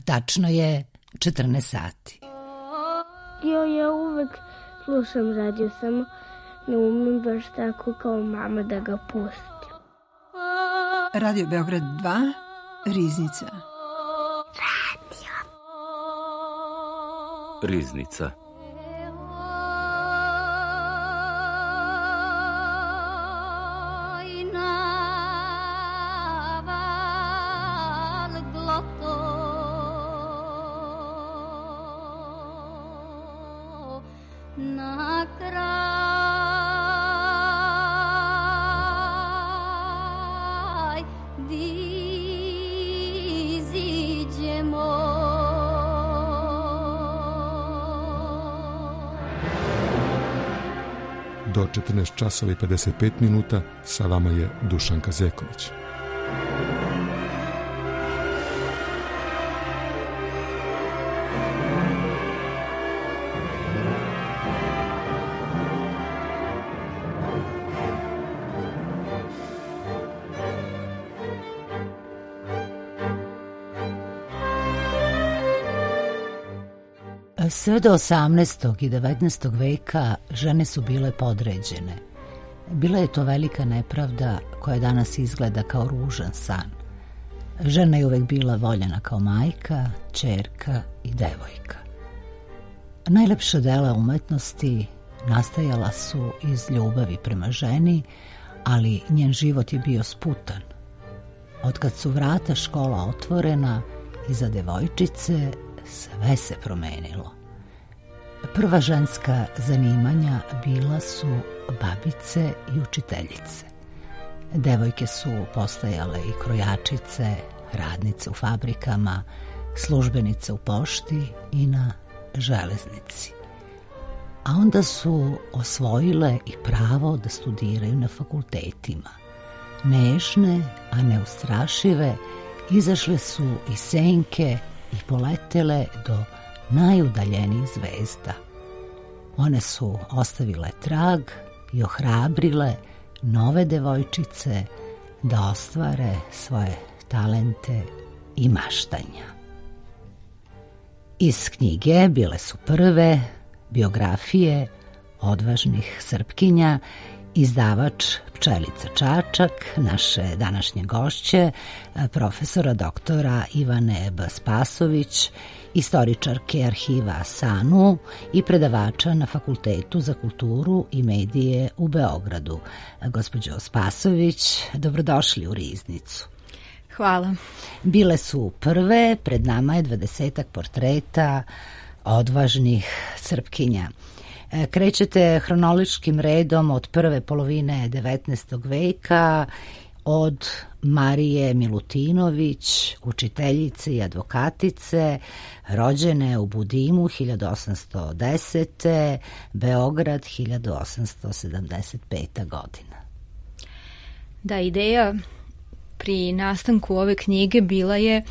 Tačno je 14 sati. Ja uvek slušam radio, samo ne umem baš tako kao mama da ga pustim. Radio Beograd 2, Riznica. Riznica. Do 14 časova i 55 minuta sa vama je Dušanka Zeković. Sve do 18. i 19. veka žene su bile podređene. Bila je to velika nepravda koja danas izgleda kao ružan san. Žena je uvek bila voljena kao majka, ćerka i devojka. Najlepša dela umetnosti nastajala su iz ljubavi prema ženi, ali njen život je bio sputan. Otkad su vrata škola otvorena i za devojčice, sve se promenilo. Prva ženska zanimanja bila su babice i učiteljice. Devojke su postajale i krojačice, radnice u fabrikama, službenice u pošti i na železnici. A onda su osvojile i pravo da studiraju na fakultetima. Nežne, a neustrašive, izašle su iz senke i poletele do najudaljenijih zvezda. One su ostavile trag i ohrabrile nove devojčice da ostvare svoje talente i maštanja. Iz knjige bile su prve biografije odvažnih Srpkinja, izdavač Pčelica Čačak, naše današnje gošće, profesora doktora Ivane B. Spasović, istoričarke arhiva SANU i predavača na Fakultetu za kulturu i medije u Beogradu. Gospođo Spasović, dobrodošli u Riznicu. Hvala. Bile su prve, pred nama je 20-ak portreta odvažnih Srpkinja. Krećete hronološkim redom od prve polovine 19. veka, od Marije Milutinović, učiteljice i advokatice, rođene u Budimu 1810. Beograd 1875. godina. Da, ideja pri nastanku ove knjige bila je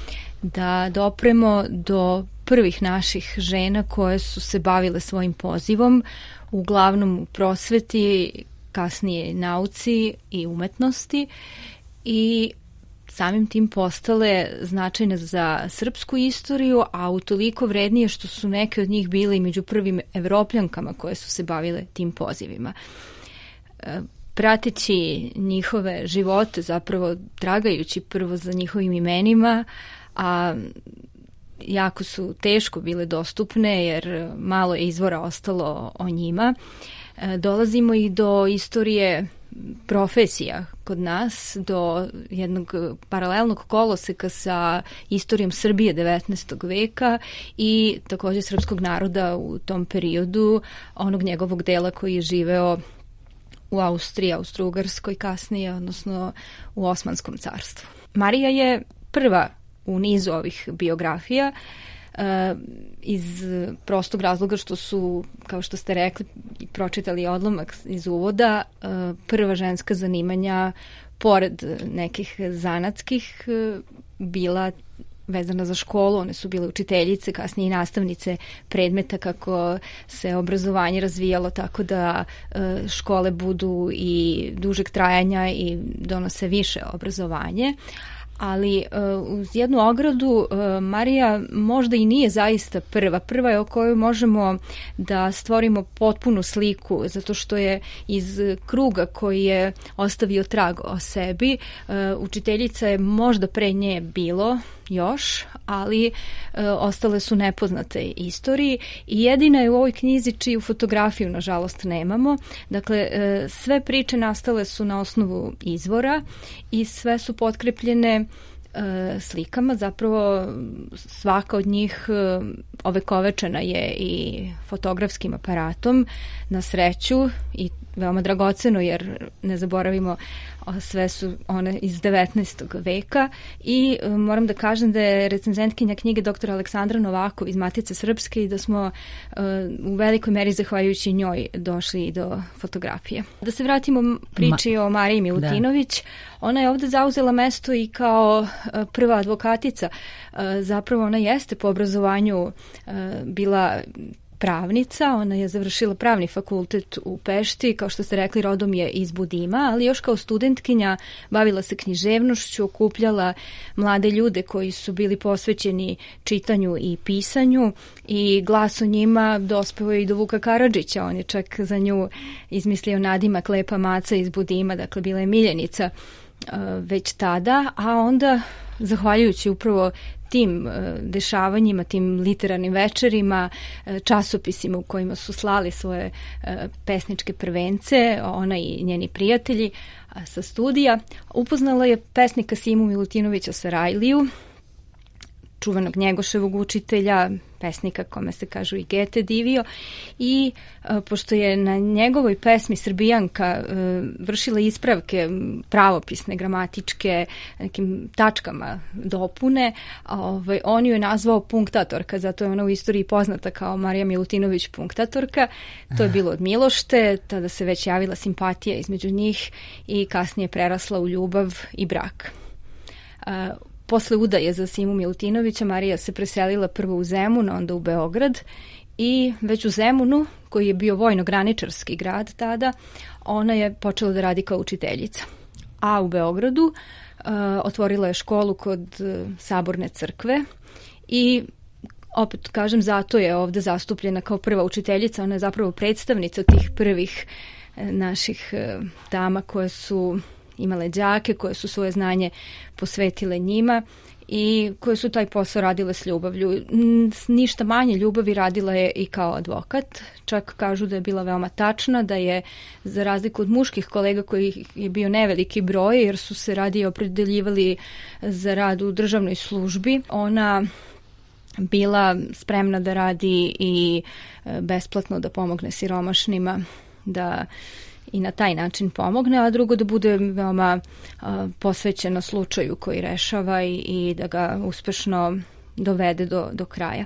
da dopremo do prvih naših žena koje su se bavile svojim pozivom, uglavnom u prosveti, kasnije nauci i umetnosti, i samim tim postale značajne za srpsku istoriju, a utoliko vrednije što su neke od njih bile i među prvim Evropljankama koje su se bavile tim pozivima. Prateći njihove živote, zapravo tragajući prvo za njihovim imenima, a jako su teško bile dostupne jer malo je izvora ostalo o njima, dolazimo i do istorije profesija kod nas, do jednog paralelnog koloseka sa istorijom Srbije 19. veka i također srpskog naroda u tom periodu, onog njegovog dela koji je živeo u Austriji, Austro-Ugarskoj kasnije, odnosno u Osmanskom carstvu. Marija je prva u nizu ovih biografija iz prostog razloga što su, kao što ste rekli, pročitali odlomak iz uvoda, prva ženska zanimanja pored nekih zanatskih bila vezana za školu. One su bile učiteljice, kasnije i nastavnice predmeta, kako se obrazovanje razvijalo tako da škole budu i dužeg trajanja i donose više obrazovanje. ali uz jednu ogradu Marija možda i nije zaista prva. Prva je o kojoj možemo da stvorimo potpunu sliku, zato što je iz kruga koji je ostavio trag o sebi. Učiteljica je možda pre nje bilo još, ali ostale su nepoznate istoriji i jedina je u ovoj knjizi čiju fotografiju nažalost nemamo. Dakle, sve priče nastale su na osnovu izvora i sve su potkrepljene slikama, zapravo svaka od njih ovekovečena je i fotografskim aparatom, na sreću, i veoma dragoceno, jer ne zaboravimo, sve su one iz 19. veka i moram da kažem da je recenzentkinja knjige dr. Aleksandra Novakov iz Matice Srpske i da smo u velikoj meri zahvaljujući njoj došli do fotografije. Da se vratimo priči o Mariji Milutinović, ona je ovde zauzela mesto i kao prva advokatica. Zapravo ona jeste po obrazovanju bila pravnica, ona je završila pravni fakultet u Pešti, kao što ste rekli, rodom je iz Budima, ali još kao studentkinja bavila se književnošću, okupljala mlade ljude koji su bili posvećeni čitanju i pisanju i glas o njima dospeo je i do Vuka Karadžića, on je čak za nju izmislio nadimak Lepa maca iz Budima, dakle bila je miljenica već tada, a onda zahvaljujući upravo tim dešavanjima, tim literarnim večerima, časopisima u kojima su slali svoje pesničke prvence, ona i njeni prijatelji sa studija, upoznala je pesnika Simu Milutinovića Sarajliju, čuvenog Njegoševog učitelja, pesnika kome se kažu i Gete divio, i pošto je na njegovoj pesmi Srbijanka vršila ispravke pravopisne, gramatičke, nekim tačkama dopune, on ju je nazvao punktatorka, zato je ona u istoriji poznata kao Marija Milutinović punktatorka. To je bilo od Milošte, tada se već javila simpatija između njih i kasnije prerasla u ljubav i brak. Posle udaje za Simu Milutinovića Marija se preselila prvo u Zemun, onda u Beograd i već u Zemunu, koji je bio vojno-graničarski grad tada, ona je počela da radi kao učiteljica. A u Beogradu otvorila je školu kod Saborne crkve i opet kažem, zato je ovde zastupljena kao prva učiteljica. Ona je zapravo predstavnica tih prvih naših dama koje su imale đake, koje su svoje znanje posvetile njima i koje su taj posao radile s ljubavlju. Ništa manje ljubavi radila je i kao advokat. Čak kažu da je bila veoma tačna, da je za razliku od muških kolega koji je bio neveliki broj jer su se radije opredeljivali za rad u državnoj službi, ona bila spremna da radi i besplatno da pomogne siromašnima, da i na taj način pomogne, a drugo da bude veoma posvećena slučaju koji rešava i da ga uspešno dovede do kraja.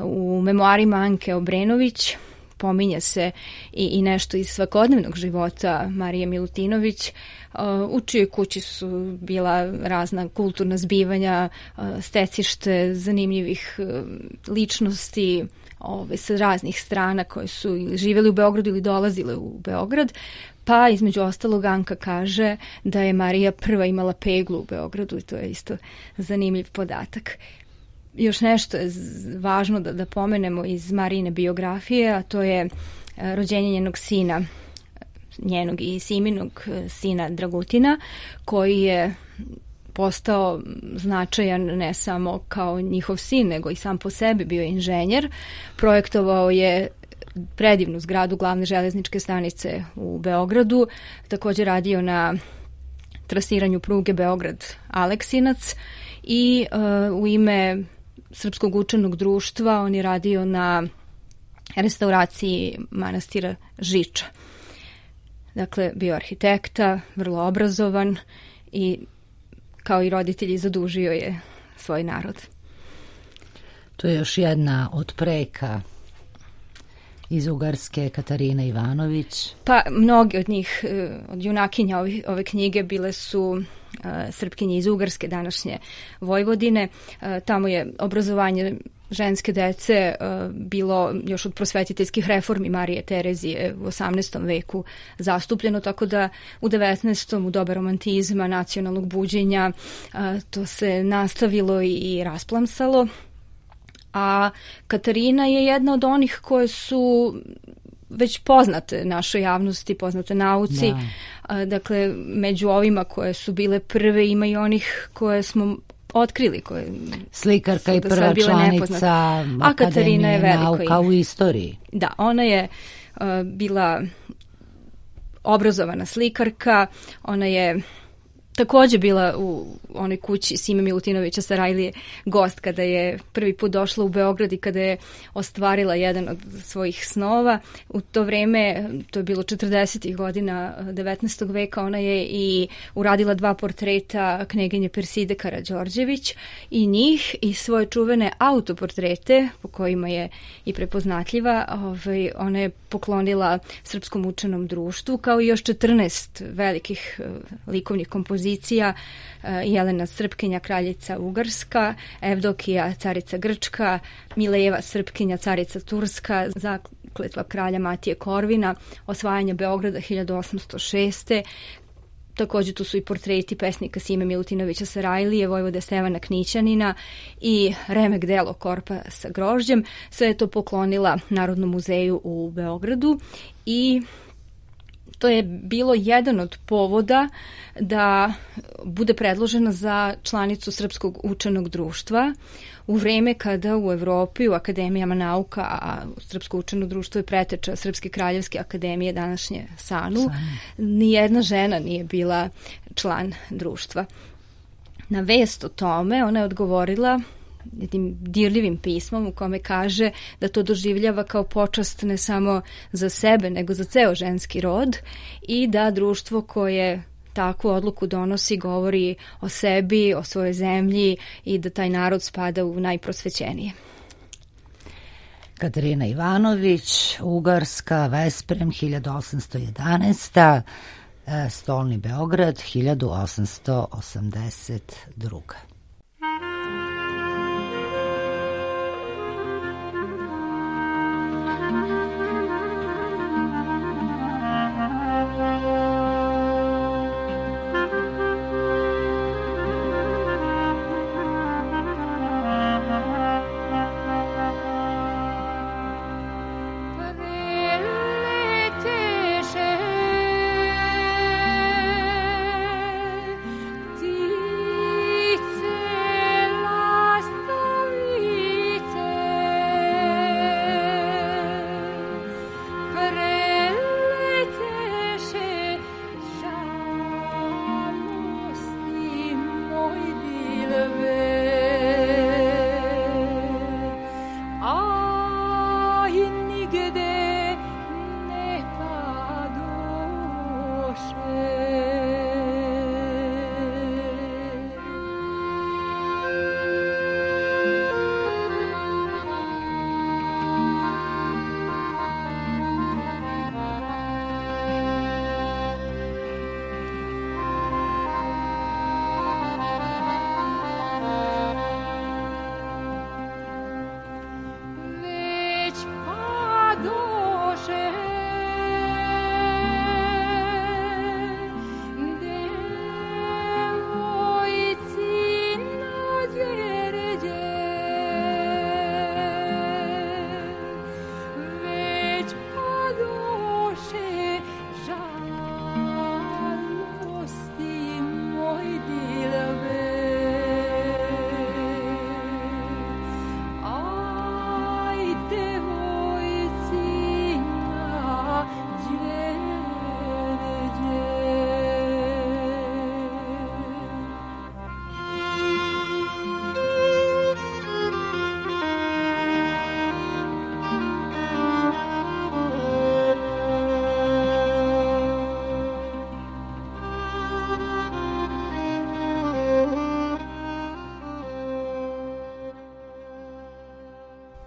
U memoarima Anke Obrenović pominje se i nešto iz svakodnevnog života Marije Milutinović, u čijoj kući su bila razna kulturna zbivanja, stecište zanimljivih ličnosti sa raznih strana koje su ili živjeli u Beogradu ili dolazile u Beograd, pa između ostalog Anka kaže da je Marija prva imala peglu u Beogradu i to je isto zanimljiv podatak. Još nešto je važno da pomenemo iz Marijine biografije, a to je rođenje njenog sina, njenog i Siminog sina Dragutina, koji je postao značajan ne samo kao njihov sin, nego i sam po sebi bio inženjer. Projektovao je predivnu zgradu glavne železničke stanice u Beogradu, također radio na trasiranju pruge Beograd-Aleksinac i u ime Srpskog učenog društva on je radio na restauraciji manastira Žiča. Dakle, bio arhitekta, vrlo obrazovan i kao i roditelji zadužio je svoj narod. To je još jedna od preka iz Ugarske, Katarina Ivanović. Pa mnogi od njih, od junakinja ove knjige bile su Srpkinje iz Ugarske, današnje Vojvodine. Tamo je obrazovanje ženske dece bilo još od prosvetiteljskih reformi Marije Terezije u 18. veku zastupljeno, tako da u 19. u doba romantizma, nacionalnog buđenja, to se nastavilo i rasplamsalo. A Katarina je jedna od onih koje su već poznate našoj javnosti, poznate nauci. Da. Dakle, među ovima koje su bile prve ima i onih koje smo otkrili. Koje slikarka i prva članica Akademije nauka u istoriji. Da, ona je bila obrazovana slikarka, ona je takođe bila u onoj kući Sime Milutinovića Sarajlije gost kada je prvi put došla u Beograd i kada je ostvarila jedan od svojih snova. U to vreme, to je bilo 40. godina 19. veka, ona je i uradila 2 portreta kneginje Perside Karađorđević i njih i svoje čuvene autoportrete po kojima je i prepoznatljiva. Ona je poklonila Srpskom učenom društvu, kao i još 14 velikih likovnih kompozicija. Jelena Srpkinja, kraljica Ugarska, Evdokija, carica Grčka, Mileva Srpkinja, carica Turska, zakletva kralja Matije Korvina, osvajanje Beograda 1806. Takođe tu su i portreti pesnika Sime Milutinovića Sarajlije, vojvode Stevana Knićanina i remek delo Korpa sa grožđem. Sve je to poklonila Narodnom muzeju u Beogradu i to je bilo jedan od povoda da bude predložena za članicu Srpskog učenog društva u vreme kada u Evropi, u akademijama nauka, a Srpsko učeno društvo je preteča Srpske kraljevske akademije, današnje SANU, nijedna žena nije bila član društva. Na vest o tome ona je odgovorila jednim dirljivim pismom u kome kaže da to doživljava kao počast ne samo za sebe, nego za ceo ženski rod i da društvo koje takvu odluku donosi govori o sebi, o svojoj zemlji i da taj narod spada u najprosvećenije. Katarina Ivanović, Ugarska, Vesprem 1811. Stolni Beograd 1882.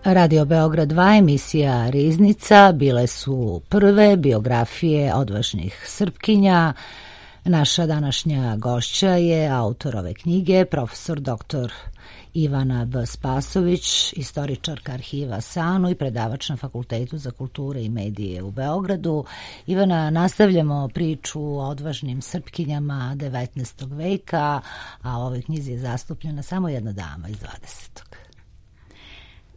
Radio Beograd 2, emisija Riznica, bile su prve biografije odvažnih Srpkinja, Naša današnja gošća je autor ove knjige, profesor dr. Ivana B. Spasović, istoričarka arhiva SANU i predavač na Fakultetu za kulture i medije u Beogradu. Ivana, nastavljamo priču o odvažnim Srpkinjama 19. veka, a u ovoj knjizi je zastupljena samo jedna dama iz 20.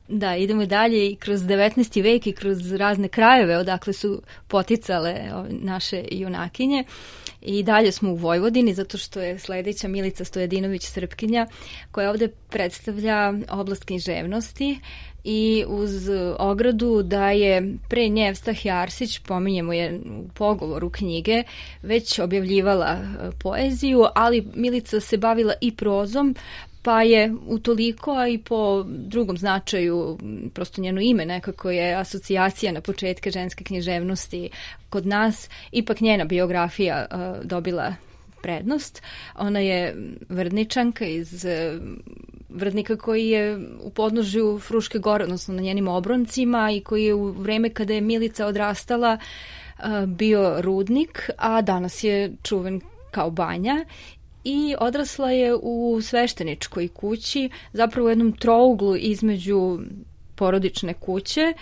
Da, idemo dalje i kroz 19. vek i kroz razne krajeve odakle su poticale naše junakinje. I dalje smo u Vojvodini zato što je sledeća Milica Stojadinović Srpkinja koja ovde predstavlja oblast književnosti i uz ogradu da je pre nje Evstahija Arsić, pominjemo je u pogovoru knjige, već objavljivala poeziju, ali Milica se bavila i prozom, pa je utoliko, a i po drugom značaju, prosto njeno ime nekako je asocijacija na početke ženske književnosti kod nas, ipak njena biografija dobila prednost. Ona je Vrdničanka iz Vrdnika koji je u podnožju Fruške gore, odnosno na njenim obroncima i koji je u vreme kada je Milica odrastala bio rudnik, a danas je čuven kao banja. I odrasla je u svešteničkoj kući, zapravo u jednom trouglu između porodične kuće,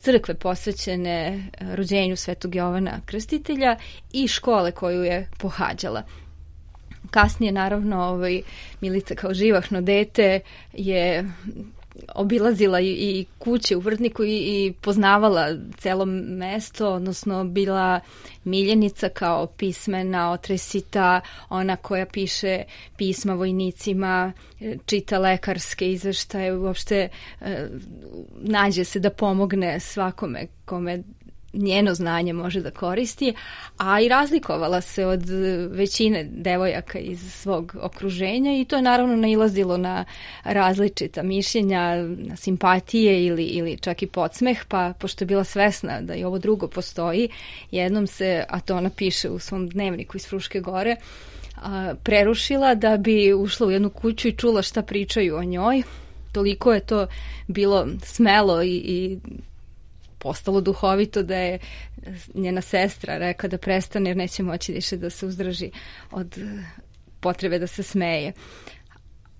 crkve posvećene rođenju Svetog Jovana Krstitelja i škole koju je pohađala. Kasnije, naravno, Milica kao živahno dete je obilazila i kuće u Vrdniku i poznavala celo mesto, odnosno bila miljenica kao pismena, otresita, ona koja piše pisma vojnicima, čita lekarske izveštaje, uopšte nađe se da pomogne svakome kome njeno znanje može da koristi, a i razlikovala se od većine devojaka iz svog okruženja i to je naravno nailazilo na različita mišljenja, na simpatije ili čak i podsmeh, pa pošto je bila svesna da i ovo drugo postoji, jednom se, a to ona piše u svom dnevniku iz Fruške gore, prerušila da bi ušla u jednu kuću i čula šta pričaju o njoj. Toliko je to bilo smelo i postalo duhovito da je njena sestra rekla da prestane jer neće moći više da se uzdrži od potrebe da se smeje.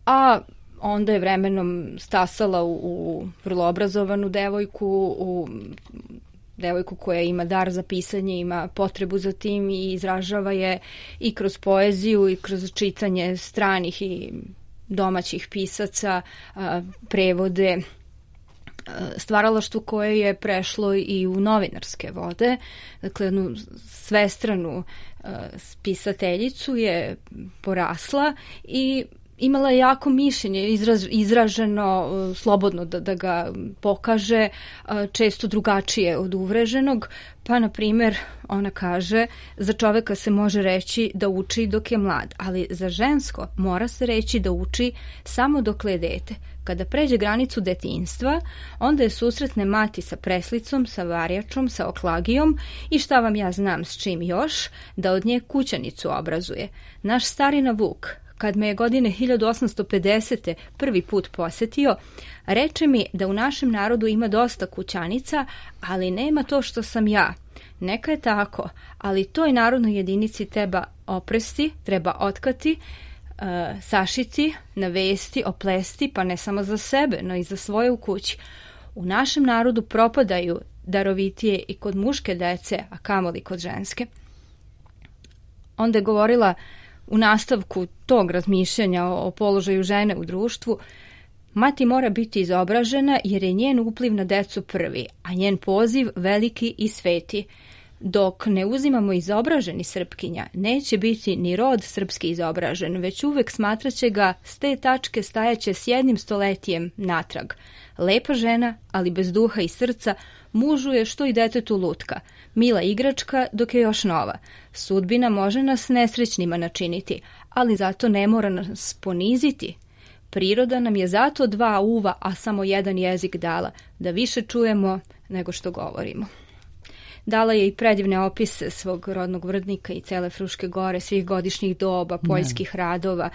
A onda je vremenom stasala u vrlo obrazovanu devojku, u devojku koja ima dar za pisanje, ima potrebu za tim i izražava je i kroz poeziju i kroz čitanje stranih i domaćih pisaca, prevode, stvaralaštvo koje je prešlo i u novinarske vode, dakle jednu svestranu spisateljicu je porasla i imala je jako mišljenje, izraženo slobodno da ga pokaže, često drugačije od uvreženog, pa na primjer ona kaže za čoveka se može reći da uči dok je mlad, ali za žensko mora se reći da uči samo dokle je dete. Kada pređe granicu detinjstva, onda je susretne mati sa preslicom, sa varjačom, sa oklagijom i šta vam ja znam s čim još, da od nje kućanicu obrazuje. Naš starina Vuk, kad me je godine 1850. prvi put posetio, reče mi da u našem narodu ima dosta kućanica, ali nema to što sam ja. Neka je tako, ali toj narodnoj jedinici treba opresti, treba otkati, sašiti, navesti, oplesti, pa ne samo za sebe, no i za svoje u kući. U našem narodu propadaju darovitije i kod muške dece, a kamoli kod ženske. Onda je govorila u nastavku tog razmišljanja o položaju žene u društvu, mati mora biti izobražena jer je njen upliv na decu prvi, a njen poziv veliki i sveti. Dok ne uzimamo izobraženi Srpkinja, neće biti ni rod srpski izobražen, već uvek smatraće ga s te tačke stajaće s jednim stoletijem natrag. Lepa žena, ali bez duha i srca, mužu je što i detetu lutka, mila igračka dok je još nova. Sudbina može nas nesrećnima načiniti, ali zato ne mora nas poniziti. Priroda nam je zato dva uva, a samo jedan jezik dala, da više čujemo nego što govorimo. Dala je i predivne opise svog rodnog Vrdnika i cele Fruške gore, svih godišnjih doba, poljskih radova,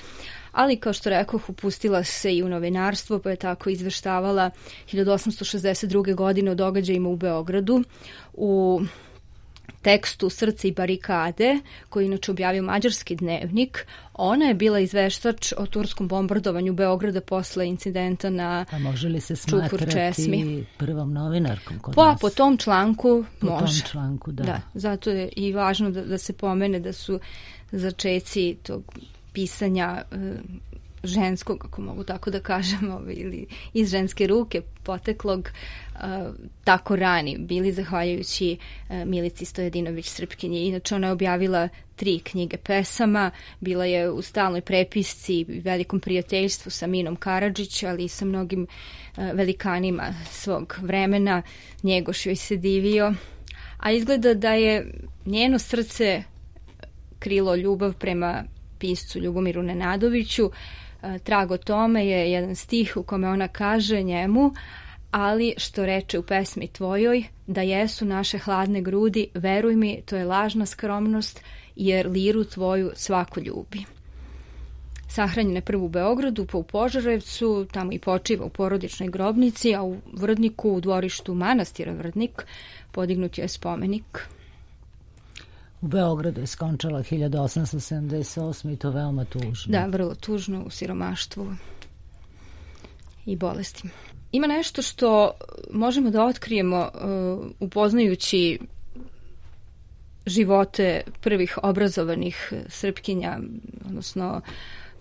ali kao što rekoh, upustila se i u novinarstvo, pa je tako izveštavala 1862. godine o događajima u Beogradu, u tekstu Srce i barikade, koji inače objavio Mađarski dnevnik, ona je bila izveštač o turskom bombardovanju Beograda posle incidenta na Čukur Česmi. A može li se smatrati prvom novinarkom kod nas? Po tom članku može. Po tom članku, da. Zato je i važno da se pomene da su začeci tog pisanja ženskog, ako mogu tako da kažem, ili iz ženske ruke poteklog, tako rani bili zahvaljujući Milici Stojadinović Srpkinji. Inače, ona je objavila 3 knjige pesama, bila je u stalnoj prepisci i velikom prijateljstvu sa Minom Karadžić, ali i sa mnogim velikanima svog vremena. Njegoš joj se divio, a izgleda da je njeno srce krilo ljubav prema piscu Ljubomiru Nenadoviću. Trag o tome je jedan stih u kome ona kaže njemu: ali što reče u pesmi tvojoj, da jesu naše hladne grudi, veruj mi, to je lažna skromnost, jer liru tvoju svako ljubi. Sahranjena je prvo u Beogradu, pa u Požarevcu, tamo i počiva u porodičnoj grobnici, a u Vrdniku, u dvorištu manastira Vrdnik, podignut je spomenik. U Beogradu je skončala 1878. i to veoma tužno. Da, vrlo tužno, u siromaštvu i bolesti. Ima nešto što možemo da otkrijemo upoznajući živote prvih obrazovanih Srpkinja, odnosno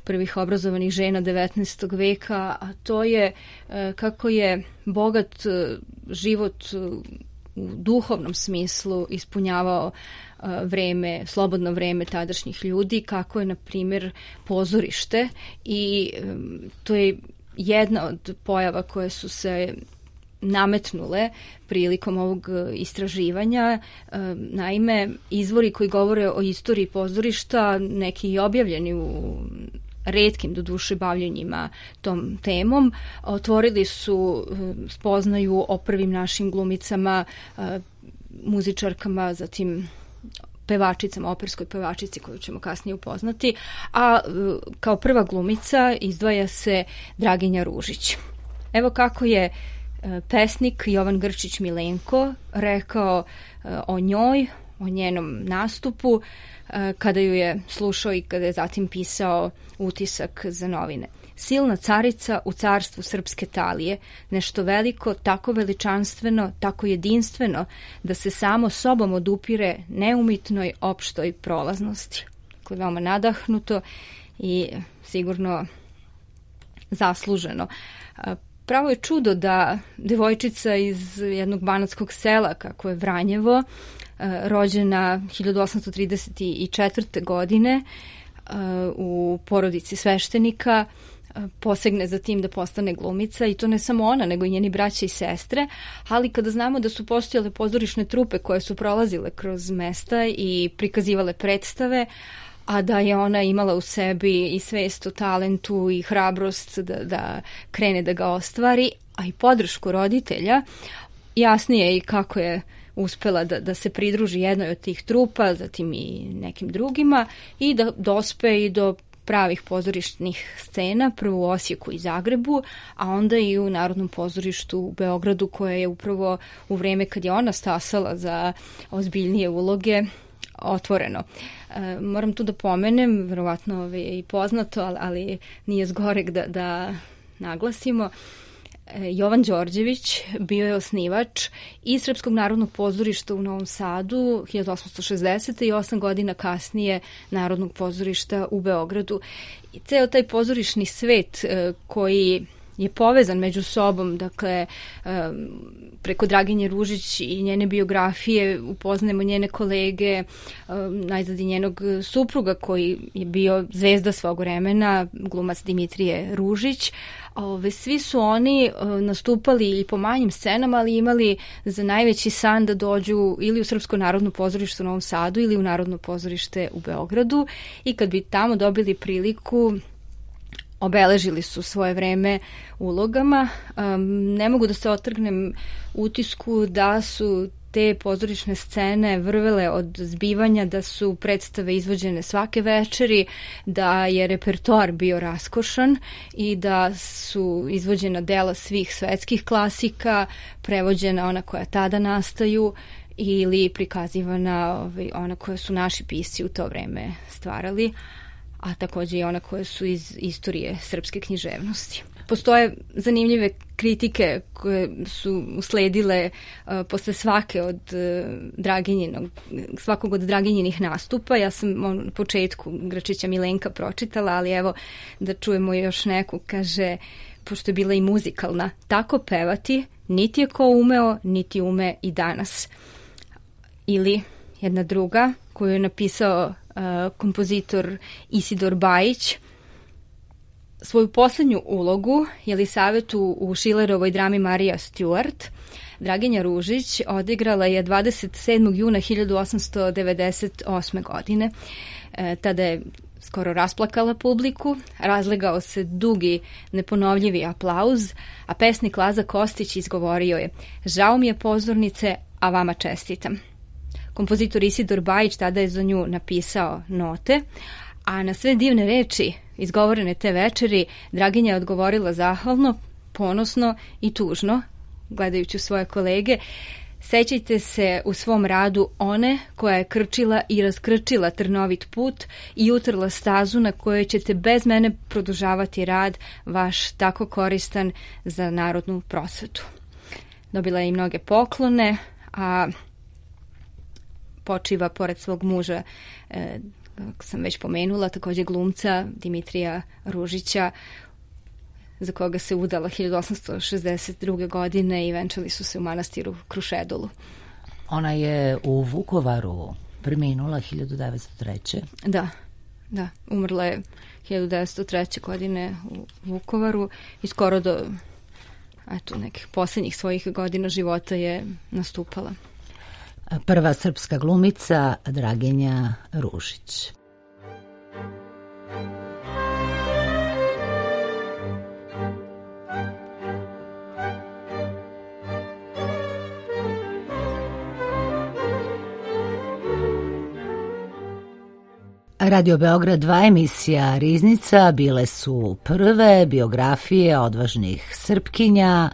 prvih obrazovanih žena 19. veka, a to je kako je bogat život u duhovnom smislu ispunjavao vreme, slobodno vreme tadašnjih ljudi, kako je, na primjer, pozorište, i to je jedna od pojava koje su se nametnule prilikom ovog istraživanja. Naime, izvori koji govore o istoriji pozorišta, neki i objavljeni u retkim, doduše, bavljenjima tom temom, otvorili su spoznaju o prvim našim glumicama, muzičarkama, zatim pevačicama, operskoj pevačici koju ćemo kasnije upoznati, a kao prva glumica izdvaja se Draginja Ružić. Evo kako je pesnik Jovan Grčić Milenko rekao o njoj, o njenom nastupu, kada ju je slušao i kada je zatim pisao utisak za novine. Silna carica u carstvu srpske talije, nešto veliko, tako veličanstveno, tako jedinstveno, da se samo sobom odupire neumitnoj opštoj prolaznosti. Dakle, veoma nadahnuto i sigurno zasluženo. Pravo je čudo da devojčica iz jednog banatskog sela, kako je Vranjevo, rođena 1834. godine u porodici sveštenika, posegne za tim da postane glumica, i to ne samo ona, nego i njeni braća i sestre, ali kada znamo da su postojale pozorišne trupe koje su prolazile kroz mesta i prikazivale predstave, a da je ona imala u sebi i svest o talentu i hrabrost da krene da ga ostvari, a i podršku roditelja, jasnije je i kako je uspela da se pridruži jednoj od tih trupa, zatim i nekim drugima, i da dospe i do pravih pozorišnih scena, prvo u Osijeku i Zagrebu, a onda i u Narodnom pozorištu u Beogradu, koje je upravo u vreme kad je ona stasala za ozbiljnije uloge otvoreno. Moram tu da pomenem, verovatno je i poznato, ali nije zgoreg da naglasimo, Jovan Đorđević bio je osnivač i Srpskog narodnog pozorišta u Novom Sadu 1860. i 8 godina kasnije Narodnog pozorišta u Beogradu. I ceo taj pozorišni svet koji je povezan među sobom, dakle, preko Draginje Ružić i njene biografije upoznajemo njene kolege, najzad i njenog supruga koji je bio zvezda svog vremena, glumac Dimitrije Ružić. Svi su oni nastupali i po manjim scenama, ali imali za najveći san da dođu ili u Srpsko narodno pozorište u Novom Sadu ili u Narodno pozorište u Beogradu, i kad bi tamo dobili priliku, obeležili su svoje vreme ulogama. Ne mogu da se otrgnem utisku da su te pozorišne scene vrvele od zbivanja, da su predstave izvođene svake večeri, da je repertoar bio raskošan i da su izvođena dela svih svetskih klasika, prevođena ona koja tada nastaju, ili prikazivana ona koja su naši pisci u to vreme stvarali, a takođe i ona koja su iz istorije srpske književnosti. Postoje zanimljive kritike koje su usledile posle svakog od Draginjinih nastupa. Ja sam na početku Grčića Milenka pročitala, ali evo da čujemo još neku. Kaže, pošto je bila i muzikalna, tako pevati niti je ko umeo, niti ume i danas. Ili jedna druga koju je napisao kompozitor Isidor Bajić. Svoju poslednju ulogu, Jelisavetu u Šilerovoj drami Marija Stuart, Draginja Ružić odigrala je 27. juna 1898. godine. Tada je skoro rasplakala publiku, razlegao se dugi, neponovljivi aplauz, a pesnik Laza Kostić izgovorio je: žao mi je pozornice, a vama čestitam. Kompozitor Isidor Bajić tada je za nju napisao note, a na sve divne reči izgovorene te večeri Draginja je odgovorila zahvalno, ponosno i tužno, gledajući svoje kolege: sećajte se u svom radu one koja je krčila i raskrčila trnovit put i utrla stazu na kojoj ćete bez mene produžavati rad vaš tako koristan za narodnu prosvetu. Dobila je i mnoge poklone, a počiva pored svog muža, kako sam već pomenula, takođe glumca Dimitrija Ružića, za koga se udala 1862. godine i venčali su se u manastiru Krušedolu. Ona je u Vukovaru preminula 1903. Da, umrla je 1903. godine u Vukovaru i skoro do nekih posljednjih svojih godina života je nastupala. Prva srpska glumica Draginja Ružić. Radio Beograd 2 emisija Riznica bile su prve biografije odvažnih Srpkinja,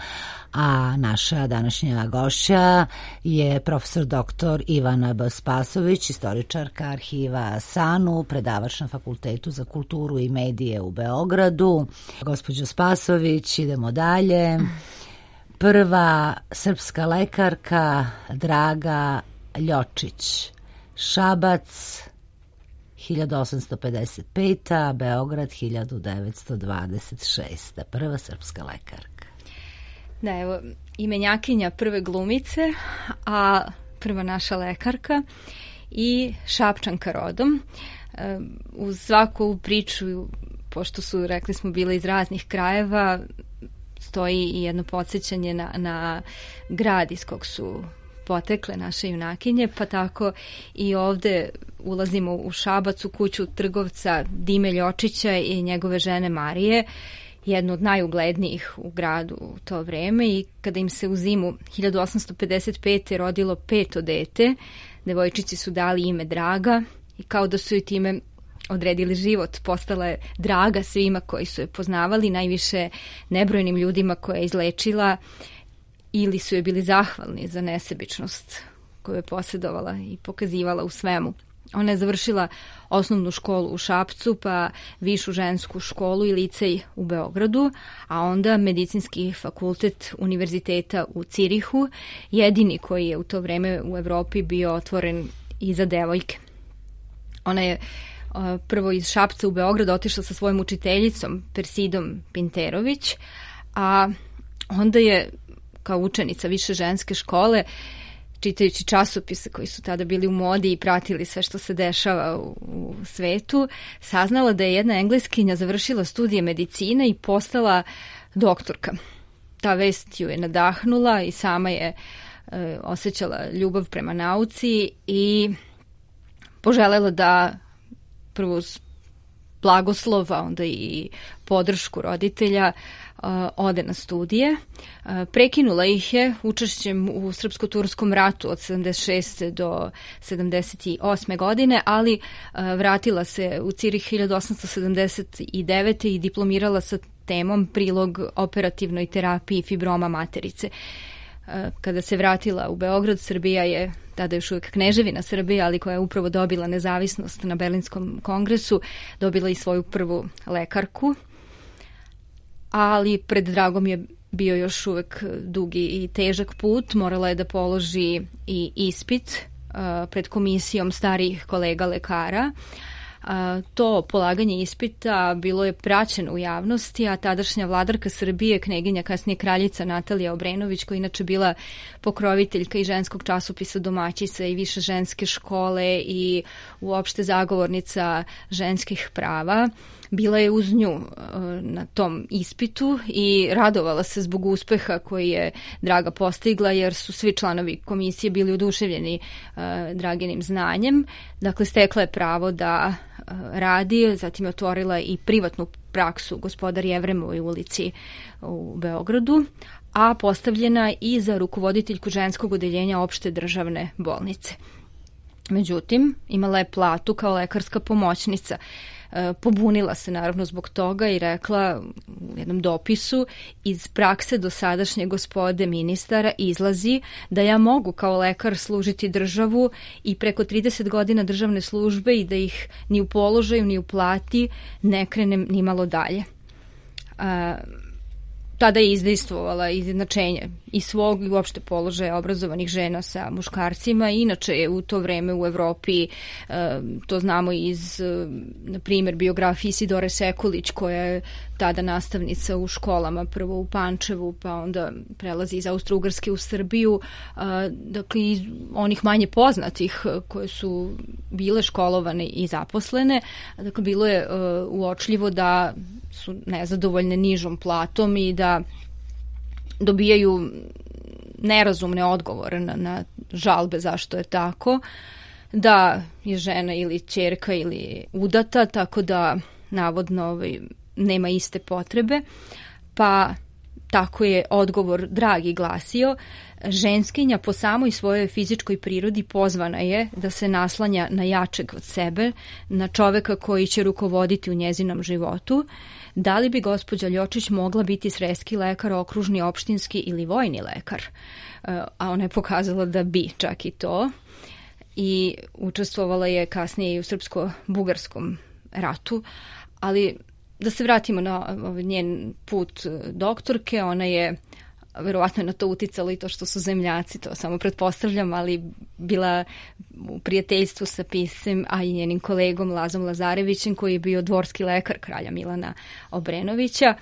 a naša današnja gošća je profesor dr. Ivana B. Spasović, istoričarka arhiva SANU, predavač na Fakultetu za kulturu i medije u Beogradu. Gospođo Spasović, idemo dalje. Prva srpska lekarka Draga Ljočić, Šabac 1855. Beograd 1926. Prva srpska lekarka. Da, evo, imenjakinja prve glumice, a prva naša lekarka i Šapčanka rodom. Uz svaku ovu priču, pošto su, rekli smo, bile iz raznih krajeva, stoji i jedno podsjećanje na grad iz kog su potekle naše junakinje, pa tako i ovde ulazimo u Šabac, u kuću trgovca Dime Ljočića i njegove žene Marije, jednu od najuglednijih u gradu u to vreme, i kada im se u zimu 1855. rodilo 5. dete, devojčici su dali ime Draga i kao da su joj time odredili život. Postala je draga svima koji su je poznavali, najviše nebrojnim ljudima koje je izlečila ili su joj bili zahvalni za nesebičnost koju je posjedovala i pokazivala u svemu. Ona je završila osnovnu školu u Šapcu, pa višu žensku školu i licej u Beogradu, a onda medicinski fakultet univerziteta u Cirihu, jedini koji je u to vreme u Evropi bio otvoren i za devojke. Ona je prvo iz Šapca u Beograd otišla sa svojom učiteljicom Persidom Pinterović, a onda je kao učenica više ženske škole, čitajući časopise koji su tada bili u modi i pratili sve što se dešava u svetu, saznala da je jedna Engleskinja završila studije medicine i postala doktorka. Ta vest ju je nadahnula i sama je osjećala ljubav prema nauci i poželela da prvo uz blagoslov, a onda i podršku roditelja ode na studije. Prekinula ih je učešćem u Srpsko-turskom ratu od 76. do 78. godine, ali vratila se u Cirih 1879. i diplomirala sa temom prilog operativnoj terapiji fibroma materice. Kada se vratila u Beograd, Srbija je tada još uvijek kneževina Srbije, ali koja je upravo dobila nezavisnost na Berlinskom kongresu, dobila i svoju prvu lekarku, ali pred Dragom je bio još uvijek dugi i težak put, morala je da položi i ispit pred komisijom starijih kolega lekara. To polaganje ispita bilo je praćeno u javnosti, a tadašnja vladarka Srbije, kneginja, kasnije kraljica Natalija Obrenović, koja inače bila pokroviteljka i ženskog časopisa Domaćica i više ženske škole i uopšte zagovornica ženskih prava, bila je uz nju na tom ispitu i radovala se zbog uspeha koji je Draga postigla, jer su svi članovi komisije bili oduševljeni Draginim znanjem. Dakle, stekla je pravo da radi, zatim je otvorila i privatnu praksu Gospodar Jevremovoj ulici u Beogradu, a postavljena i za rukovoditeljku ženskog odeljenja opšte državne bolnice. Međutim, imala je platu kao lekarska pomoćnica. Pobunila se naravno zbog toga i rekla u jednom dopisu: iz prakse dosadašnje gospode ministara izlazi da ja mogu kao lekar služiti državu i preko 30 godina državne službe i da ih ni u položaju ni u plati ne krenem ni malo dalje. Tada je izdejstvovala izjednačenje i svog i uopšte položaja obrazovanih žena sa muškarcima. Inače je u to vreme u Evropi, to znamo iz, na primjer, biografije Isidore Sekulić, koja je tada nastavnica u školama, prvo u Pančevu, pa onda prelazi iz Austro-Ugarske u Srbiju, dakle iz onih manje poznatih koje su bile školovane i zaposlene. Dakle, bilo je uočljivo da su nezadovoljne nižom platom i da dobijaju nerazumne odgovore na žalbe zašto je tako, da je žena ili ćerka ili udata, tako da navodno nema iste potrebe, pa tako je odgovor Dragi glasio: ženskinja po samoj svojoj fizičkoj prirodi pozvana je da se naslanja na jačeg od sebe, na čoveka koji će rukovoditi u njezinom životu. Da li bi gospođa Ljočić mogla biti sredski lekar, okružni, opštinski ili vojni lekar? A ona je pokazala da bi čak i to. I učestvovala je kasnije i u srpsko-bugarskom ratu. Ali da se vratimo na njen put doktorke, ona je, verovatno je na to uticalo i to što su zemljaci, to samo pretpostavljam, ali bila u prijateljstvu sa piscem, a i njenim kolegom Lazom Lazarevićem, koji je bio dvorski lekar kralja Milana Obrenovića,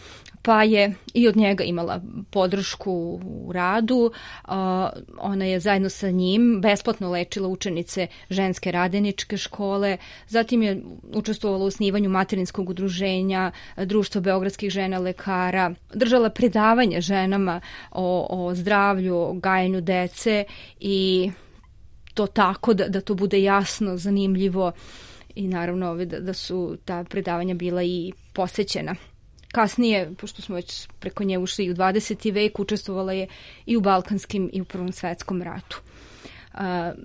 pa je i od njega imala podršku u radu. Ona je zajedno sa njim besplatno lečila učenice ženske radeničke škole, zatim je učestvovala u osnivanju materinskog udruženja, Društva beogradskih žena lekara, držala predavanje ženama o zdravlju, o gajenju dece i to tako da to bude jasno, zanimljivo i naravno da su ta predavanja bila i posećena. Kasnije, pošto smo već preko nje ušli u 20. vek, učestvovala je i u Balkanskim i u Prvom svetskom ratu.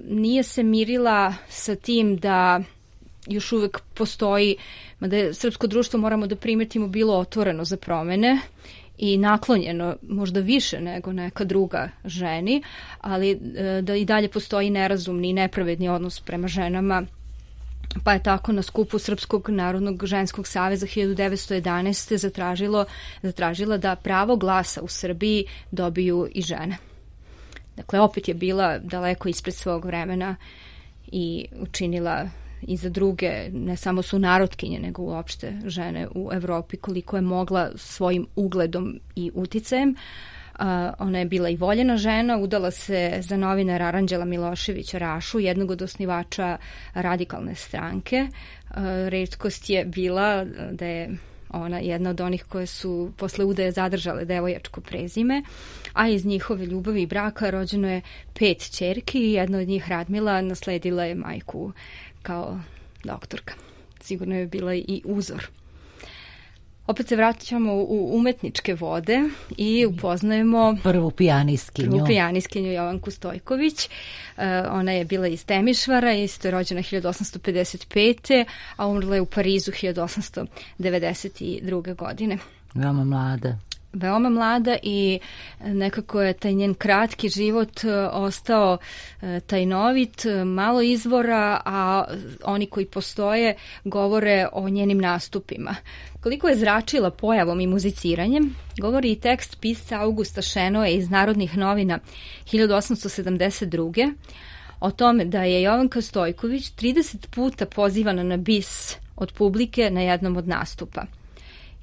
Nije se mirila sa tim da još uvek postoji, mada je srpsko društvo, moramo da primetimo, bilo otvoreno za promene i naklonjeno možda više nego neka druga ženi, ali da i dalje postoji nerazumni i nepravedni odnos prema ženama. Pa je tako na skupu Srpskog narodnog ženskog saveza 1911. zatražila da pravo glasa u Srbiji dobiju i žene. Dakle, opet je bila daleko ispred svog vremena i učinila i za druge, ne samo su narodkinje, nego uopšte žene u Evropi, koliko je mogla svojim ugledom i uticajem. Ona je bila i voljena žena, udala se za novinara Aranđela Miloševića Rašu, jednog od osnivača Radikalne stranke. Retkost je bila da je ona jedna od onih koje su posle udaje zadržale devojačko prezime, a iz njihove ljubavi i braka rođeno je 5 ćerki i jedna od njih, Radmila, nasledila je majku kao doktorka. Sigurno je bila i uzor. Opet se vraćamo u umetničke vode i upoznajemo prvu pijaniskinju Jovanku Stojković. Ona je bila iz Temišvara, isto je rođena 1855. a umrla je u Parizu 1892. godine. Veoma mlada. veoma mlada i nekako je taj njen kratki život ostao tajnovit, malo izvora, a oni koji postoje govore o njenim nastupima. Koliko je zračila pojavom i muziciranjem, govori i tekst pisca Augusta Šenoe iz Narodnih novina 1872. o tome da je Jovanka Stojković 30 puta pozivana na bis od publike na jednom od nastupa.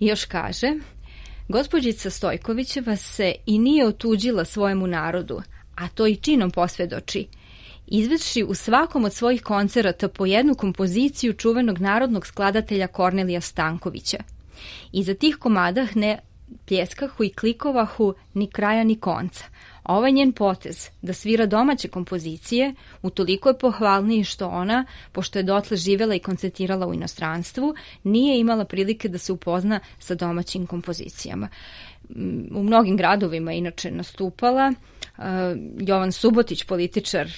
I još kaže: gospođica Stojkovićeva se i nije otuđila svojemu narodu, a to i činom posvedoči, izvedši u svakom od svojih koncerata po jednu kompoziciju čuvenog narodnog skladatelja Kornelija Stankovića. Iza tih komadah ne pljeskahu i klikovahu ni kraja ni konca. Ovaj njen potez da svira domaće kompozicije utoliko je pohvalniji što ona, pošto je dotle živela i koncertirala u inostranstvu, nije imala prilike da se upozna sa domaćim kompozicijama. U mnogim gradovima inače nastupala. Jovan Subotić, političar,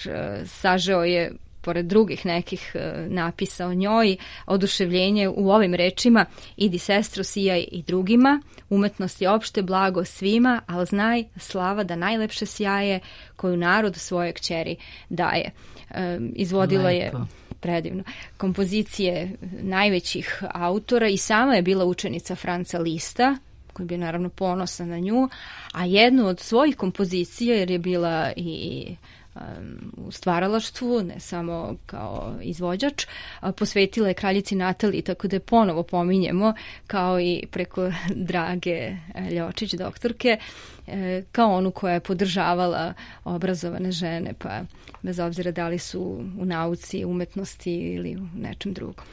sažeo je pored drugih nekih napisa o njoj, oduševljenje u ovim rečima: idi sestro, sijaj i drugima, umetnost je opšte blago svima, ali znaj slava da najlepše sjaje koju narod svoje kćeri daje. Izvodila je predivno kompozicije najvećih autora i sama je bila učenica Franca Lista, koji je bio naravno ponosan na nju, a jednu od svojih kompozicija, jer je bila i u stvaralaštvu, ne samo kao izvođač, posvetila je kraljici Nataliji, tako da je ponovo pominjemo, kao i preko Drage Ljočić, doktorke, kao onu koja je podržavala obrazovane žene, pa bez obzira da li su u nauci, umetnosti ili u nečem drugom.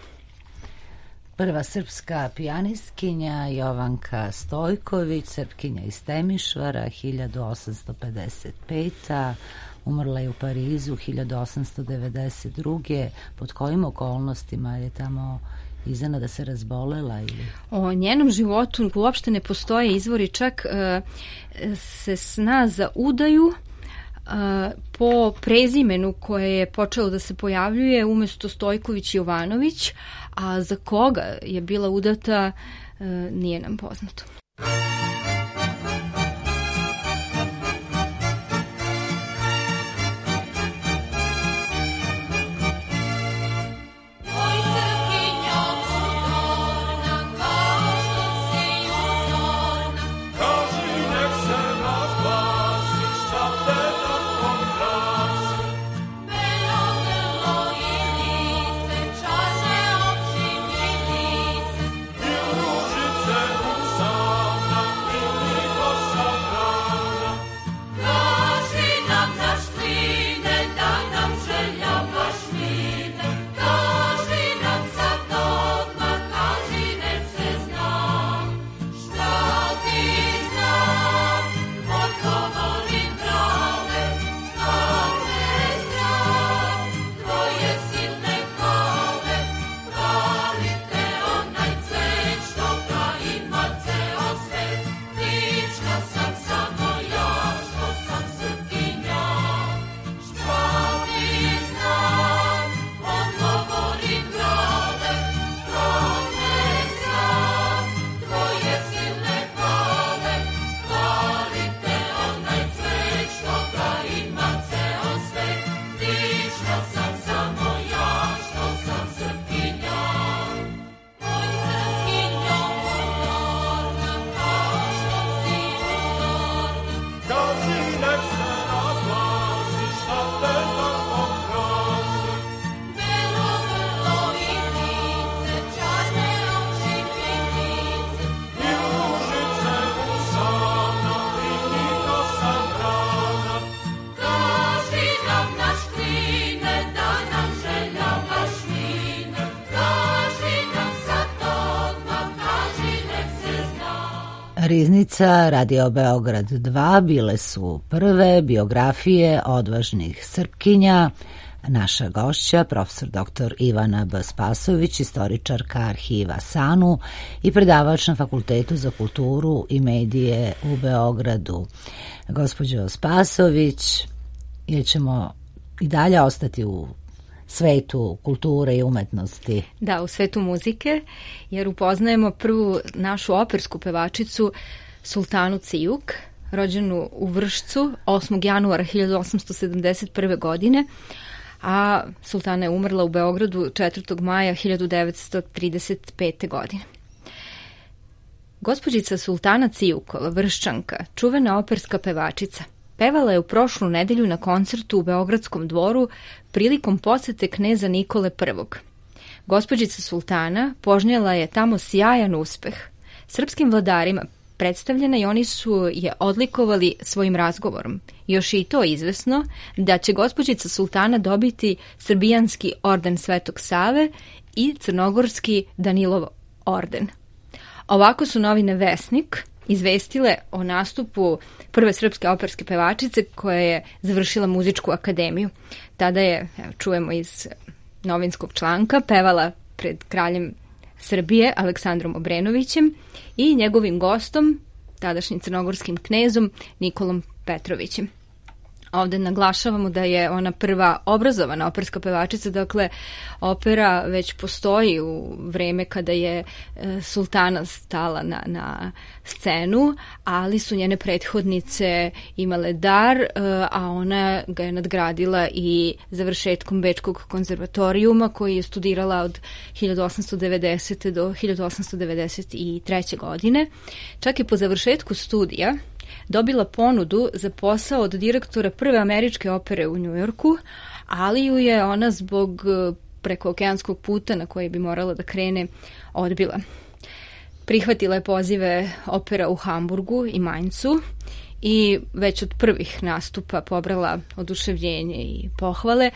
Prva srpska pijanistkinja Jovanka Stojković, Srpkinja iz Temišvara, 1855. Umrla je u Parizu 1892. Pod kojim okolnostima je tamo iznenada se razbolela? Ili? O njenom životu uopšte ne postoje izvori, čak se zna za udaju po prezimenu koje je počelo da se pojavljuje umesto Stojković Jovanović, a za koga je bila udata nije nam poznato. Riznica Radio Beograd 2 bile su prve biografije odvažnih Srpkinja. Naša gošća, profesor dr. Ivana B. Spasović, istoričarka arhiva SANU i predavač na Fakultetu za kulturu i medije u Beogradu. Gospođo Spasović, jer ćemo i dalje ostati u svetu kulture i umetnosti. Da, u svetu muzike, jer upoznajemo prvu našu opersku pevačicu Sultanu Cijuk, rođenu u Vršcu 8. januara 1871. godine, a sultana je umrla u Beogradu 4. maja 1935. godine. Gospođica Sultana Cijukova, Vrščanka, čuvena operska pevačica, pevala je u prošlu nedelju na koncertu u Beogradskom dvoru prilikom posete kneza Nikole I. Gospođica Sultana požnjela je tamo sjajan uspeh. Srpskim vladarima predstavljena i oni su je odlikovali svojim razgovorom. Još je i to izvesno da će gospođica Sultana dobiti srbijanski orden Svetog Save i crnogorski Danilov orden. Ovako su novine Vesnik izvestile o nastupu prve srpske operske pevačice koja je završila muzičku akademiju. Tada je, čujemo iz novinskog članka, pevala pred kraljem Srbije Aleksandrom Obrenovićem i njegovim gostom, tadašnjim crnogorskim knezom Nikolom Petrovićem. Ovde naglašavamo da je ona prva obrazovana operska pevačica, dakle opera već postoji u vreme kada je sultana stala na scenu, ali su njene prethodnice imale dar, a ona ga je nadgradila i završetkom Bečkog konzervatorijuma koji je studirala od 1890. do 1893. godine. Čak i po završetku studija dobila ponudu za posao od direktora prve američke opere u Njujorku, ali ju je ona zbog prekookeanskog puta na koji bi morala da krene odbila. Prihvatila je pozive opera u Hamburgu i Mainzu i već od prvih nastupa pobrala oduševljenje i pohvale,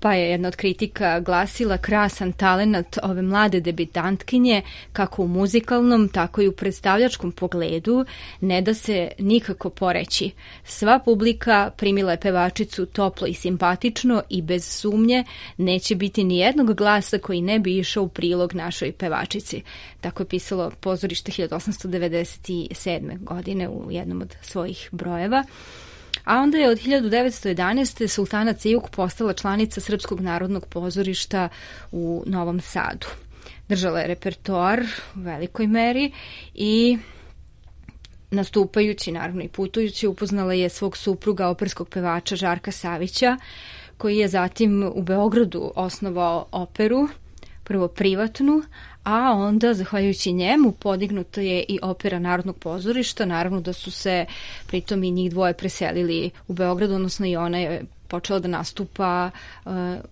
pa je jedna od kritika glasila krasan talenat ove mlade debitantkinje, kako u muzikalnom, tako i u predstavljačkom pogledu, ne da se nikako poreći. Sva publika primila je pevačicu toplo i simpatično i bez sumnje neće biti ni jednog glasa koji ne bi išao u prilog našoj pevačici. Tako je pisalo pozorište 1897. godine u jednom od svojih brojeva. A onda je od 1911. Sultana Cijuk postala članica Srpskog narodnog pozorišta u Novom Sadu. Držala je repertoar u velikoj meri i nastupajući, naravno i putujući, upoznala je svog supruga, operskog pevača Žarka Savića, koji je zatim u Beogradu osnovao operu, prvo privatnu, a onda, zahvaljujući njemu, podignuta je i opera Narodnog pozorišta. Naravno da su se pritom i njih dvoje preselili u Beograd, odnosno i ona je počela da nastupa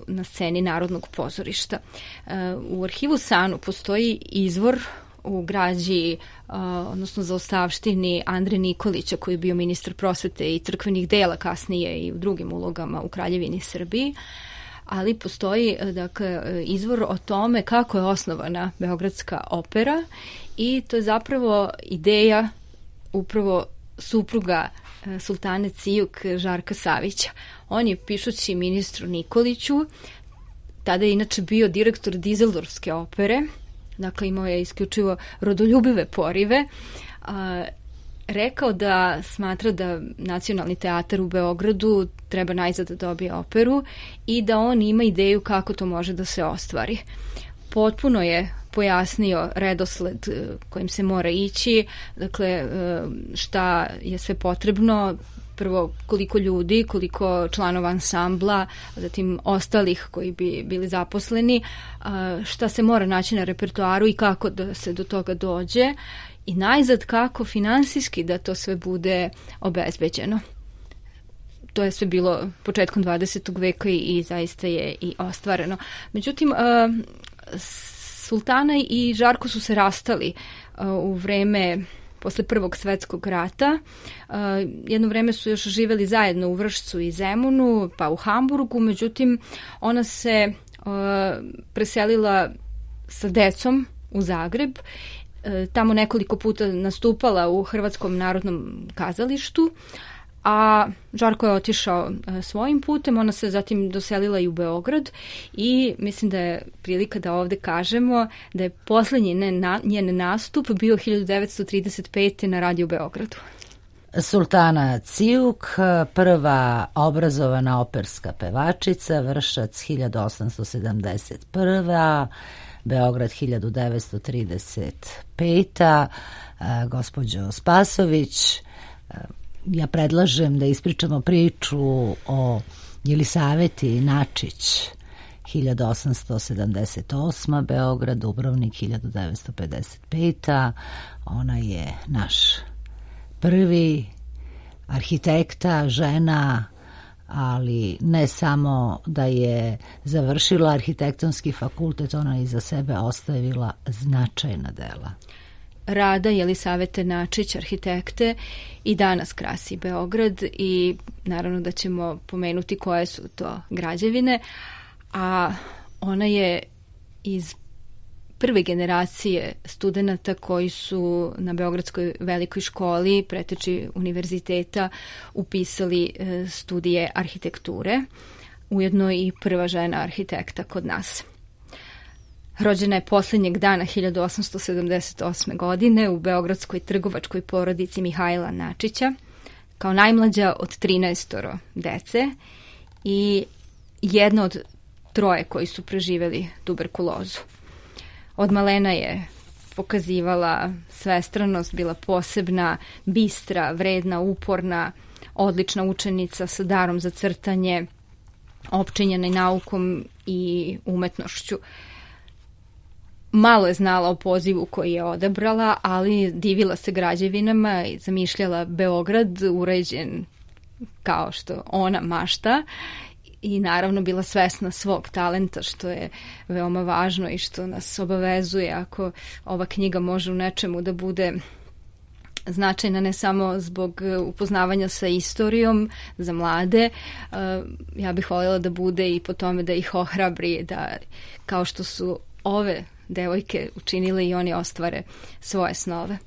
na sceni Narodnog pozorišta. U arhivu SANU postoji izvor u građi, odnosno zaostavštini Andre Nikolića, koji je bio ministar prosvete i crkvenih dela, kasnije i u drugim ulogama u Kraljevini Srbiji, ali postoji izvor o tome kako je osnovana Beogradska opera i to je zapravo ideja upravo supruga Sultane Cijuk, Žarka Savića. On je, pišući ministru Nikoliću, tada je inače bio direktor Dizeldorfske opere, dakle imao je isključivo rodoljubive porive, rekao da smatra da Nacionalni teatar u Beogradu treba najzad da dobije operu i da on ima ideju kako to može da se ostvari. Potpuno je pojasnio redosled kojim se mora ići, dakle šta je sve potrebno, prvo koliko ljudi, koliko članova ansambla, zatim ostalih koji bi bili zaposleni, šta se mora naći na repertoaru i kako da se do toga dođe i najzad kako finansijski da to sve bude obezbeđeno. To je sve bilo početkom 20. veka i zaista je i ostvareno. Međutim, Sultana i Žarko su se rastali u vreme posle Prvog svetskog rata. Jedno vreme su još živeli zajedno u Vršcu i Zemunu, pa u Hamburgu, međutim ona se preselila sa decom u Zagreb, tamo nekoliko puta nastupala u Hrvatskom narodnom kazalištu, a Žarko je otišao svojim putem, ona se zatim doselila i u Beograd i mislim da je prilika da ovde kažemo da je poslednji njen nastup bio 1935. na Radio Beogradu. Sultana Cijuk, prva obrazovana operska pevačica, Vršac 1871. Beograd 1935. Gospođo Spasović, ja predlažem da ispričamo priču o Jelisaveti Načić, 1878. Beograd, Dubrovnik 1955. Ona je naš prvi arhitekta, žena, ali ne samo da je završila arhitektonski fakultet, ona je iza sebe ostavila značajna dela. Rada Jelisavete Načić, arhitekte, i danas krasi Beograd i naravno da ćemo pomenuti koje su to građevine, a ona je iz prve generacije studenata koji su na Beogradskoj velikoj školi, preteči univerziteta, upisali studije arhitekture, ujedno i prva žena arhitekta kod nas. Rođena je posljednjeg dana 1878. godine u beogradskoj trgovačkoj porodici Mihajla Načića, kao najmlađa od 13 dece i jedna od 3 koji su preživeli tuberkulozu. Od malena je pokazivala svestranost, bila posebna, bistra, vredna, uporna, odlična učenica sa darom za crtanje, opčinjena i naukom i umetnošću. Malo je znala o pozivu koji je odabrala, ali divila se građevinama i zamišljala Beograd uređen kao što ona mašta i naravno bila svesna svog talenta, što je veoma važno i što nas obavezuje ako ova knjiga može u nečemu da bude značajna ne samo zbog upoznavanja sa istorijom za mlade, ja bih voljela da bude i po tome da ih ohrabri, da kao što su ove devojke učinile i oni ostvare svoje snove.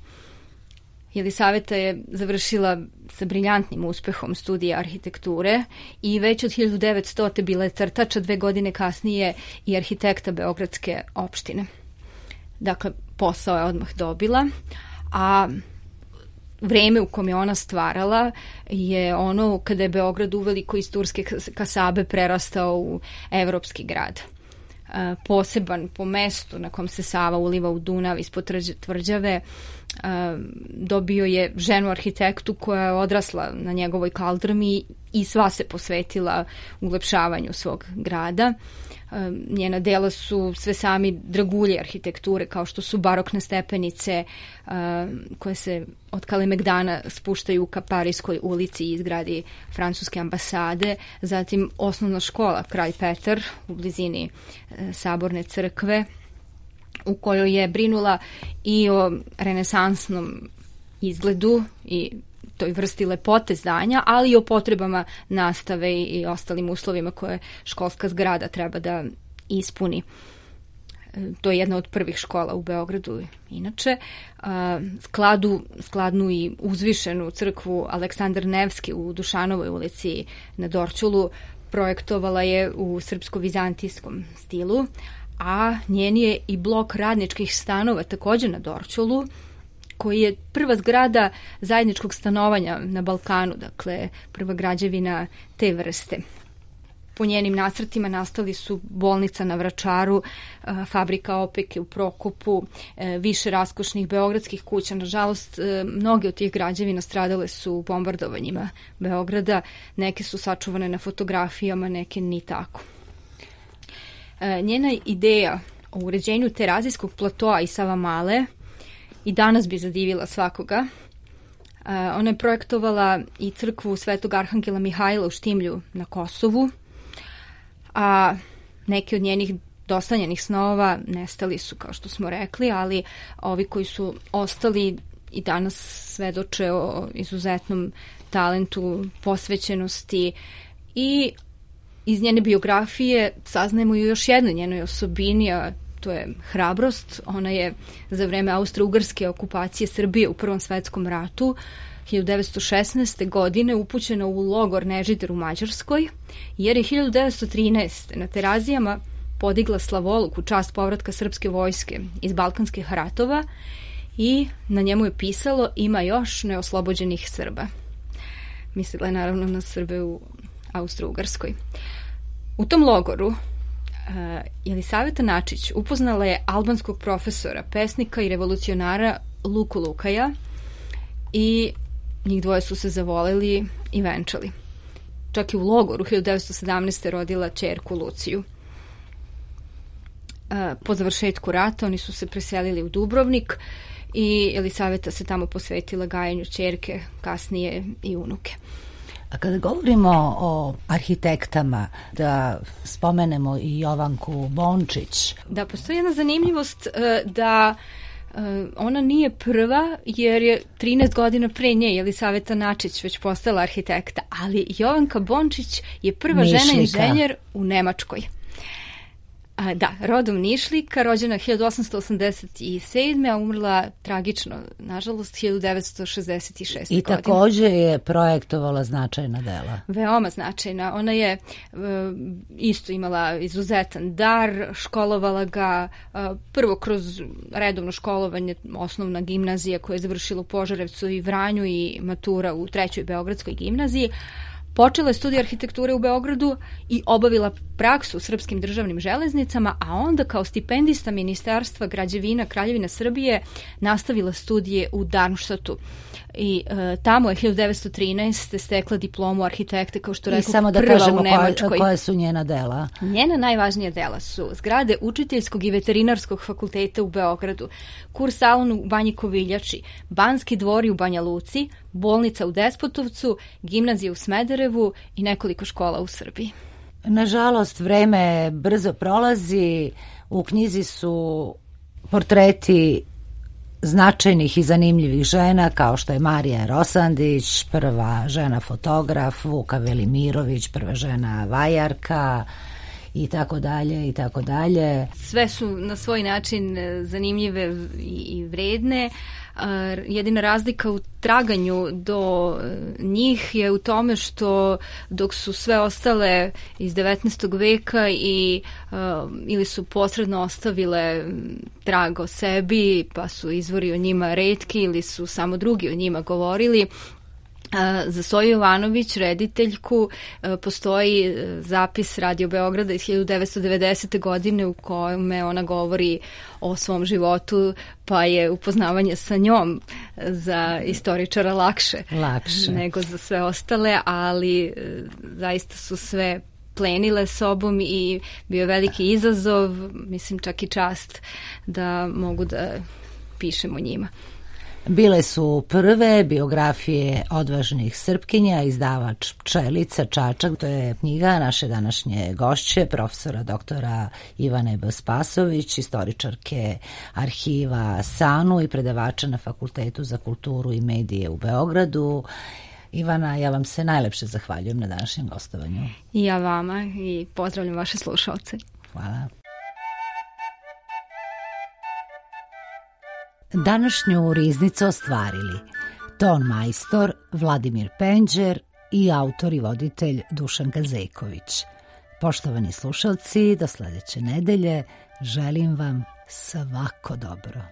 Jelisaveta je završila sa briljantnim uspehom studija arhitekture i već od 1900. bila je crtača, 2 godine kasnije i arhitekta Beogradske opštine. Dakle, posao je odmah dobila, a vreme u kom je ona stvarala je ono kada je Beograd uveliko iz turske kasabe prerastao u evropski grad. Poseban po mestu na kom se Sava uliva u Dunav ispod tvrđave, dobio je ženu arhitektu koja je odrasla na njegovoj kaldrmi i sva se posvetila ulepšavanju svog grada. Njena dela su sve sami dragulje arhitekture, kao što su barokne stepenice koje se od Kalemegdana spuštaju ka Parijskoj ulici i zgradi francuske ambasade, zatim osnovna škola Kralj Petar u blizini Saborne crkve, u kojoj je brinula i o renesansnom izgledu i toj vrsti lepote zdanja, ali i o potrebama nastave i ostalim uslovima koje školska zgrada treba da ispuni. To je jedna od prvih škola u Beogradu. Inače, skladnu i uzvišenu crkvu Aleksandar Nevski u Dušanovoj ulici na Dorćolu projektovala je u srpsko-vizantijskom stilu, a njen je i blok radničkih stanova također na Dorćolu, koji je prva zgrada zajedničkog stanovanja na Balkanu, dakle prva građevina te vrste. Po njenim nacrtima nastali su bolnica na Vračaru, fabrika opeke u Prokopu, više raskošnih beogradskih kuća. Nažalost, mnoge od tih građevina stradale su u bombardovanjima Beograda, neke su sačuvane na fotografijama, neke ni tako. Njena ideja o uređenju Terazijskog platoa i Savamale i danas bi zadivila svakoga. Ona je projektovala i crkvu Svetog Arhangela Mihajla u Štimlju na Kosovu, a neki od njenih dosanjanih snova nestali su, kao što smo rekli, ali ovi koji su ostali i danas svedoče o izuzetnom talentu, posvećenosti i iz njene biografije saznajemo i još jednoj njenoj osobini, a to je hrabrost. Ona je za vreme austro-ugarske okupacije Srbije u Prvom svetskom ratu 1916. godine upućena u logor Nežiter u Mađarskoj, jer je 1913. na Terazijama podigla slavoluk u čast povratka srpske vojske iz Balkanskih ratova i na njemu je pisalo "Ima još neoslobođenih Srba". Mislila je naravno na Srbe u Austro-Ugarskoj. U tom logoru Jelisaveta Načić upoznala je albanskog profesora, pesnika i revolucionara Luku Lukaja i njih dvoje su se zavoleli i venčali. Čak i u logoru 1917. rodila ćerku Luciju. Po završetku rata oni su se preselili u Dubrovnik i Jelisaveta se tamo posvetila gajenju ćerke, kasnije i unuke. A kada govorimo o arhitektama, da spomenemo i Jovanku Bončić. Da, postoji jedna zanimljivost da ona nije prva, jer je 13 godina pre nje Jelisaveta Načić već postala arhitekta, ali Jovanka Bončić je prva žena inženjer u Nemačkoj. Da, rodom Nišlika, rođena 1887. a umrla tragično, nažalost, 1966. godine. I također je projektovala značajna dela. Veoma značajna. Ona je isto imala izuzetan dar, školovala ga prvo kroz redovno školovanje, osnovna gimnazija koja je završila u Požarevcu i Vranju i matura u 3. Beogradskoj gimnaziji. Počela je studij arhitekture u Beogradu i obavila praksu u Srpskim državnim železnicama, a onda kao stipendista Ministarstva građevina Kraljevine Srbije nastavila studije u Darmstadtu. I tamo je 1913. stekla diplomu arhitekte, kao što rekao, samo da prva kažemo u Nemačkoj. Koje su njena dela? Njena najvažnija dela su zgrade Učiteljskog i veterinarskog fakulteta u Beogradu, Kursalon u Banji Koviljači, Banski dvori u Banja Luci, bolnica u Despotovcu, gimnazija u Smederevu i nekoliko škola u Srbiji. Nažalost, vreme brzo prolazi. U knjizi su portreti značajnih i zanimljivih žena, kao što je Marija Rosandić, prva žena fotograf, Vuka Velimirović, prva žena vajarka, i tako dalje, i tako dalje. Sve su na svoj način zanimljive i vredne. Jedina razlika u traganju do njih je u tome što dok su sve ostale iz 19. veka ili su posredno ostavile trag o sebi, pa su izvori o njima retki ili su samo drugi o njima govorili, za Soju Jovanović, rediteljku, postoji zapis Radio Beograda iz 1990. godine u kojome ona govori o svom životu, pa je upoznavanje sa njom za istoričara lakše nego za sve ostale, ali zaista su sve plenile sobom i bio veliki izazov, mislim čak i čast da mogu da pišem o njima. Bile su prve biografije odvažnih Srpkinja, izdavač Pčelica, Čačak. To je knjiga naše današnje gošće, profesora doktora Ivane B. Spasović, istoričarke arhiva SANU i predavača na Fakultetu za kulturu i medije u Beogradu. Ivana, ja vam se najlepše zahvaljujem na današnjem gostovanju. I ja vama i pozdravljam vaše slušalce. Hvala. Današnju riznicu ostvarili ton majstor Vladimir Penđer i autor i voditelj Dušan Gazejković. Poštovani slušalci, do sledeće nedelje želim vam svako dobro.